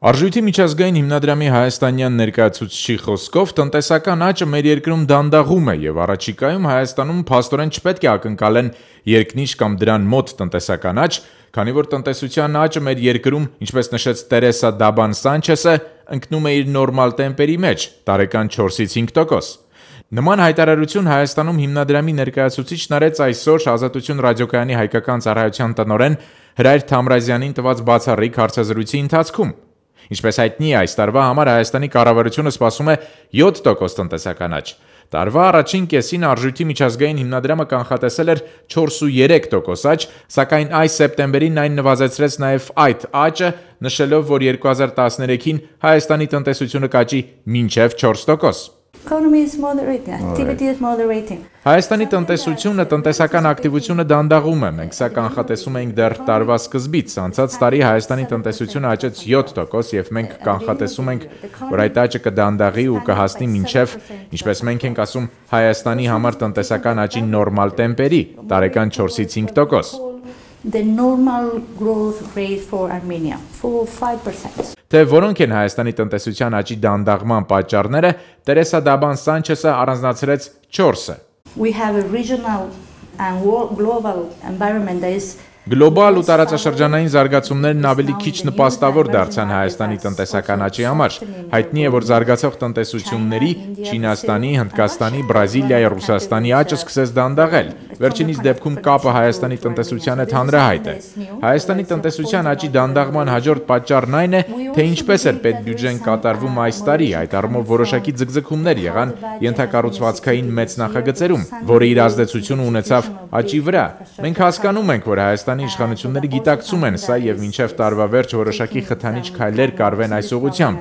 Արժույթի միջազգային հիմնադրամի հայաստանյան ներկայացուցչի խոսքով տնտեսական աճը մեր երկրում դանդաղում է եւ առաջիկայում Հայաստանում փաստորեն չպետք է ակնկալեն երկնիշ կամ դրան մոտ տնտեսական աճ, քանի որ տնտեսության աճը մեր երկրում, ինչպես նշեց Տերեսա Դաբան Սանչեսը, ընկնում է իր նորմալ տեմպերի մեջ՝ տարեկան 4-ից 5%։ Նման հայտարարություն Հայաստանում հիմնադրամի ներկայացուցիչն արեց այսօր Ազատություն ռադիոկայանի հայկական ծառայության տնօրեն Հրայր Թամրազյանին տված բացառիկ հարցազրույցի ընթացքում։ Ինչպես հայտնի է, այս տարվա համար Հայաստանի կառավարությունը սպասում է 7% տնտեսական աճ։ Տարվա առաջին կեսին արժույթի միջազգային հիմնադրամը կանխատեսել էր 4,3% աճ, սակայն այս սեպտեմբերին այն նվազեցրեց նաև այդ աճը, նշելով, որ 2013-ին Հայաստանի տնտեսությունը կաճի մինչև 4%։ Հայաստանի տնտեսությունը, տնտեսական ակտիվությունը դանդաղում է, մենք սա կանխատեսում էինք դեռ տարվա սկզբից, անցած տարի Հայաստանի տնտեսությունը աճեց 7% եւ մենք կանխատեսում ենք, որ այդ աճը կդանդաղի ու կհասնի մինչև, ինչպես մենք ենք ասում, Հայաստանի համար տնտեսական աճի նորմալ տեմպերի, տարեկան 4-ից 5%։ The normal growth rate for Armenia, 4-5%. Թե որոնք են Հայաստանի տնտեսության աճի դանդաղման պատճառները, Տերեսա Դաբան Սանչեսը առանձնացրեց 4-ը։ We have a regional and global environment that is Գլոբալ ու տարածաշրջանային զարգացումներն ավելի քիչ նպաստավոր դարձան Հայաստանի տնտեսական աճի համար։ Հայտնի է, որ զարգացող տնտեսությունների Չինաստանի, Հնդկաստանի, Բրազիլիայի, Ռուսաստանի աճը սկսեց դանդաղել։ Վերջինիս դեպքում կապը Հայաստանի տնտեսության հետ հանրահայտ է։ Հայաստանի տնտեսության աճի դանդաղման հաջորդ պատճառն այն է, թե ինչպես էր պետբյուջեն կատարվում այս տարի, այդ առումով որոշակի ձգձգումներ եղան ենթակառուցվածքային մեծ նախագծերում, որը իր ազդեցությունը ունեցավ աճի վրա։ Մենք հասկանում ենք, որ Հայաստանի իշխանությունները գիտակցում են սա եւ մինչեւ տարվա վերջ որոշակի խթանիչ քայլեր կարվեն այս ուղղությամբ։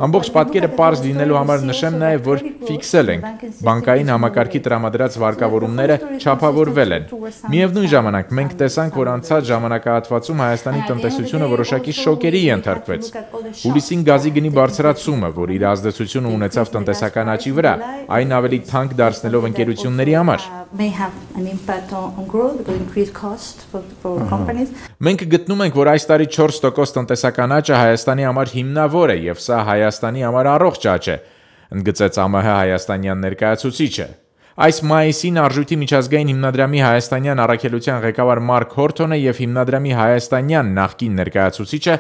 Ամբողջ պատկերը պարզ լինելու համար նշեմ նաեւ, որ ֆիքսել ենք բանկային համակարգի տրամադրած վարկավորումները չափավորվել են։ Միևնույն ժամանակ մենք տեսանք, որ անցած ժամանակահատվածում Հայաստանի տնտեսությունը որոշակի շոկերի ենթարկվեց։ Հուլիսին գազի գնի բարձրացումը, որ իր ազդեցությունը ունեցավ տնտեսական աճի վրա, այն ավելի թանկ դարձնելով ընկերությունների համար։ Մենք գտնում ենք, որ այս տարի 4% տնտեսական աճը Հայաստանի համար հիմնավոր է եւ սա Հայաստանի համար առողջ աճ է, ընդգծեց ԱՄՀ հայաստանյան ներկայացուցիչը։ Այս մայիսին արժույթի միջազգային հիմնադրամի հայաստանյան առաքելության ղեկավար Մարկ Հորթոնը եւ հիմնադրամի հայաստանյան նախկին ներկայացուցիչը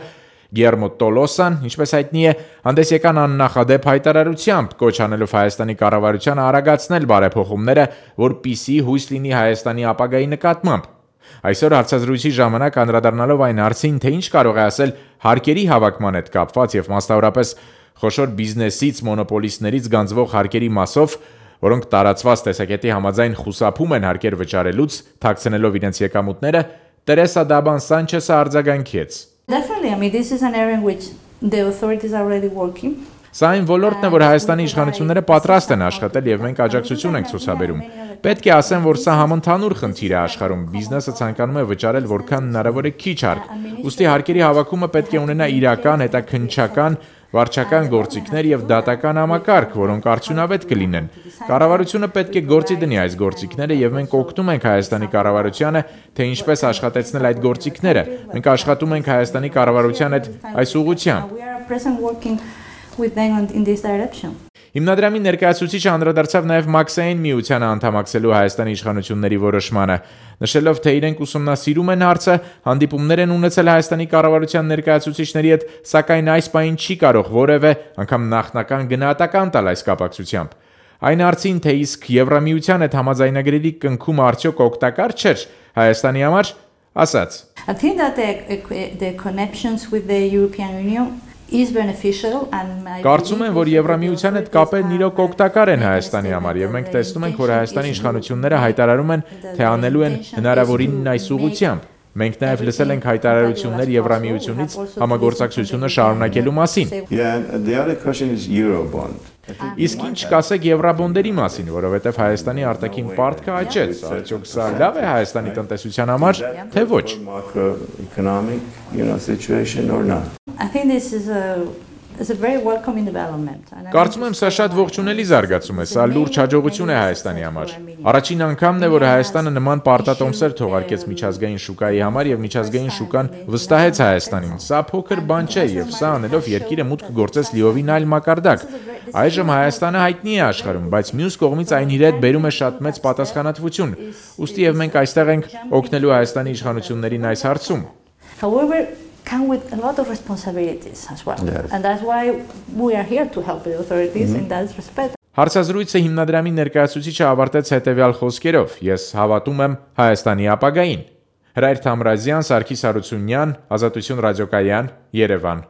Գիերմո Տոլոսան, ինչպես հայտնի է, հանդես եկան աննախադեպ հայտարարությամբ, կոչ անելով Հայաստանի կառավարությանը արագացնել բարեփոխումները, որպիսի հույս լինի Հայաստանի ապագայի նկատմամբ։ Այսօր հարցազրույցի ժամանակ անդրադառնալով այն հարցին, թե ինչ կարող է ասել հարկերի հավաքման հետ կապված եւ մասնավորապես խոշոր բիզնեսից, մոնոպոլիստներից գանձվող հարկերի մասով, որոնք տարածված տեսակետի համաձայն խուսափում են հարկեր վճարելուց, թաքցնելով իրենց եկամուտները, Տերեսա Դաբան Սանչեսը արձագանքեց։ Definitely, I mean, this is an area in which the authorities are already working. Սա այն ոլորտն է, որ Հայաստանի իշխանությունները պատրաստ են աշխատել եւ մենք աջակցություն ենք ցուցաբերում։ Պետք է ասեմ, որ սա համընդհանուր խնդիր է աշխարհում։ Բիզնեսը ցանկանում է վճարել որքան հնարավոր է քիչ հարկ։ Ուստի հարկերի հավաքումը պետք է ունենա իրական, հետաքննչական, վարչական գործիքներ եւ դատական համակարգ, որոնք արդյունավետ կլինեն։ Կառավարությունը պետք է գործի դնի այս գործիքները եւ մենք օգնում ենք Հայաստանի կառավարությանը, թե ինչպես աշխատեցնել այդ գործիքները։ Մենք աշխատում ենք Հայաստանի կառավարության հետ այս ուղղությամբ։ Հիմնադրամի ներկայացուցիչը անդրադարձավ նաև Մաքսային միությանը անդամակցելու Հայաստանի իշխանությունների որոշմանը, նշելով, թե իրենք ուսումնասիրում են հարցը, հանդիպումներ են ունեցել Հայաստանի կառավարության ներկայացուցիչների հետ, սակայն այս պահին չի կարող որևէ անգամ նախնական գնահատական տալ այս կապակցությամբ։ Այն հարցին, թե իսկ Եվրամիության հետ համաձայնագրերի կնքումը արդյոք օգտակար չէր Հայաստանի համար, ասաց. I think that the connections with the European Union is beneficial and Կարծում եմ, որ Եվրամիության հետ կապերն իրոք օգտակար են Հայաստանի համար եւ մենք տեսնում ենք, որ Հայաստանի իշխանությունները հայտարարում են, թե անելու են հնարավորինն այս ուղղությամբ։ Մենք նաև լսել ենք հայտարարություններ Եվրամիությունից համագործակցությունը շարունակելու մասին։ Իսկ ինչ կասեք եվրաբոնդերի մասին, որովհետև Հայաստանի արտաքին պարտքը աճեց, արդյոք սա լավ է Հայաստանի տնտեսության համար, թե ոչ։ I think this is It's a very welcoming development. Կարծում եմ սա շատ ողջունելի զարգացում է, սա լուրջ հաջողություն է Հայաստանի համար։ Առաջին անգամն է, որ Հայաստանը նման պարտատոմսեր թողարկեց միջազգային շուկայի համար եւ միջազգային շուկան վստահեց Հայաստանին։ Սա փոքր բան չէ եւ սա անելով երկիրը մուտք գործեց լիովին այլ մակարդակ։ Այժմ Հայաստանը հայտնի է աշխարհում, բայց մյուս կողմից այն իր հետ բերում է շատ մեծ պատասխանատվություն։ Ուստի եւ մենք այստեղ ենք օգնելու Հայաստանի իշխանություններին այս հարցում։ However, come with a lot of responsibilities as well. Yes. And that's why we are here to help the authorities in that respect. Հարցազրույցը հիմնադրամի ներկայացուցիչը ավարտեց հետևյալ խոսքերով. Ես հավատում եմ Հայաստանի ապագային։ Հրայր Թամրազյան, Սարգիս Հարությունյան, Ազատություն ռադիոկայան, Երևան։